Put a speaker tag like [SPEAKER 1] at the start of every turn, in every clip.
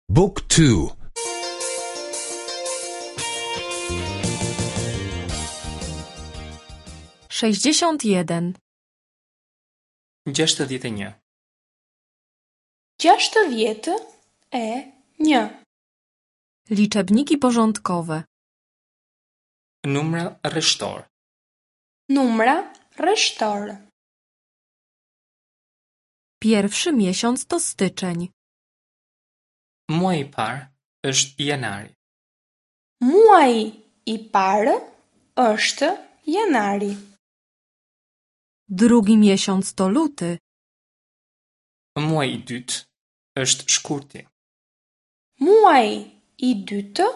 [SPEAKER 1] Book 2
[SPEAKER 2] 61.
[SPEAKER 3] 61.
[SPEAKER 4] 61.
[SPEAKER 2] Liczebniki porządkowe.
[SPEAKER 3] Numra rreshtor.
[SPEAKER 4] Numra rreshtor.
[SPEAKER 2] Pierwszy miesiąc to styczeń.
[SPEAKER 3] Muaji i parë është janari.
[SPEAKER 4] Muaji i parë është janari.
[SPEAKER 2] Drugi miesiąc to luty.
[SPEAKER 3] Muaji i dytë është shkurti.
[SPEAKER 4] Muaji i dytë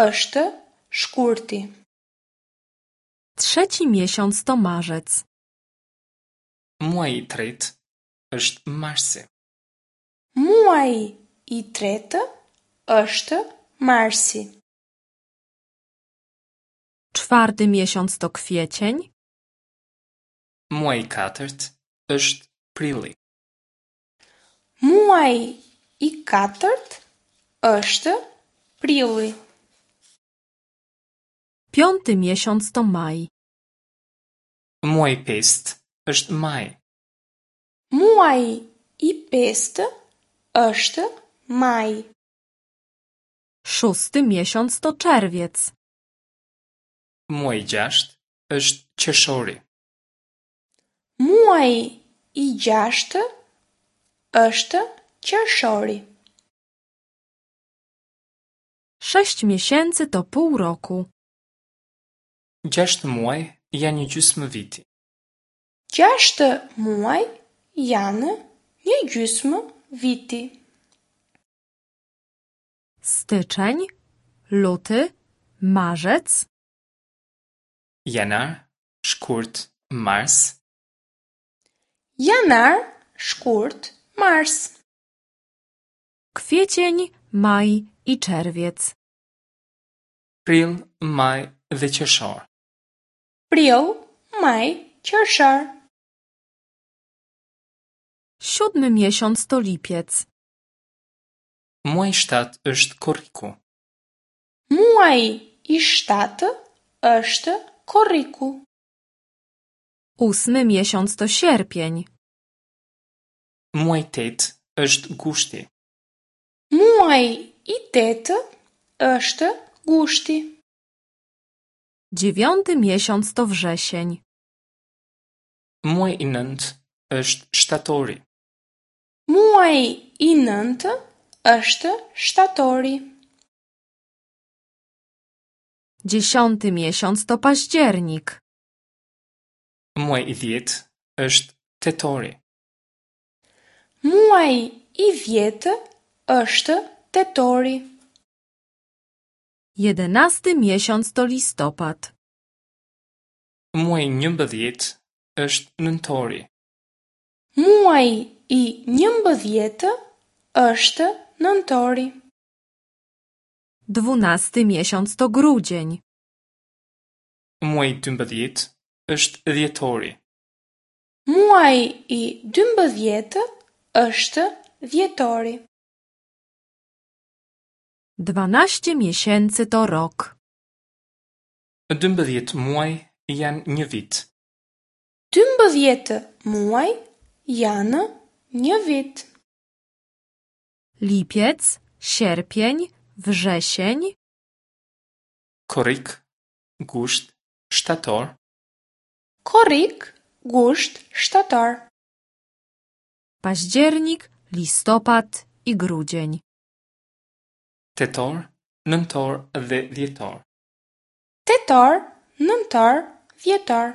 [SPEAKER 4] është shkurti.
[SPEAKER 2] Trzeci miesiąc to marzec.
[SPEAKER 3] Muaji i tretë është marsi.
[SPEAKER 4] Muaji i tretë është marsi.
[SPEAKER 2] Czwarty miesiąc to kwiecień.
[SPEAKER 3] Muaji i katërt është prilli.
[SPEAKER 4] Muaji i katërt është prilli.
[SPEAKER 2] Piąty miesiąc to maj.
[SPEAKER 3] Muaji i pestë është maji.
[SPEAKER 4] Muaji i pestë është maji.
[SPEAKER 2] Szósty miesiąc to czerwiec.
[SPEAKER 3] Muaji i gjashtë është qershori.
[SPEAKER 4] Muaji i gjashtë është qershori.
[SPEAKER 2] Sześć miesięcy to pół roku.
[SPEAKER 3] Gjashtë muaj janë një gjysmë viti.
[SPEAKER 4] Gjashtë muaj janë një gjysmë viti.
[SPEAKER 2] Styczeń, luty, marzec,
[SPEAKER 3] Janar, shkurt, mars,
[SPEAKER 4] Janar, shkurt, mars.
[SPEAKER 2] kwiecień, maj i czerwiec.
[SPEAKER 3] prill, maj dhe qershor.
[SPEAKER 4] Prill, maj, qershor.
[SPEAKER 2] Siódmy miesiąc to lipiec.
[SPEAKER 3] Muaji i shtatë është korriku.
[SPEAKER 4] Muaji i shtatë është korriku.
[SPEAKER 2] Ósmy miesiąc to sierpień.
[SPEAKER 3] Muaji i tetë është gushti.
[SPEAKER 4] Muaji i tetë është gushti.
[SPEAKER 2] Dziewiąty miesiąc to wrzesień.
[SPEAKER 3] Muaji i nëntë është shtatori.
[SPEAKER 4] Muaji i nëntë është shtatori.
[SPEAKER 2] Dziesiąty miesiąc to październik.
[SPEAKER 3] Muaji i dhjetë është tetori.
[SPEAKER 4] Muaji i dhjetë është tetori.
[SPEAKER 2] Jedenasty miesiąc to listopad.
[SPEAKER 3] Muaji i 11 është nëntori.
[SPEAKER 4] Muaji i 11 është nëntori.
[SPEAKER 2] Dwunasty miesiąc to grudzień.
[SPEAKER 3] Muaji i 12 është dhjetori.
[SPEAKER 4] Muaji i 12 është dhjetori.
[SPEAKER 2] 12 miesięcy to rok.
[SPEAKER 3] 12 muaj janë një vit.
[SPEAKER 4] 12 muaj janë një vit.
[SPEAKER 2] Lipiec, sierpień, wrzesień,
[SPEAKER 3] Korrik, gusht, shtator,
[SPEAKER 4] Korrik, gusht, shtator.
[SPEAKER 2] październik, listopad i grudzień.
[SPEAKER 3] tetor, nëntor dhe dhjetor.
[SPEAKER 4] Tetor, nëntor, dhjetor.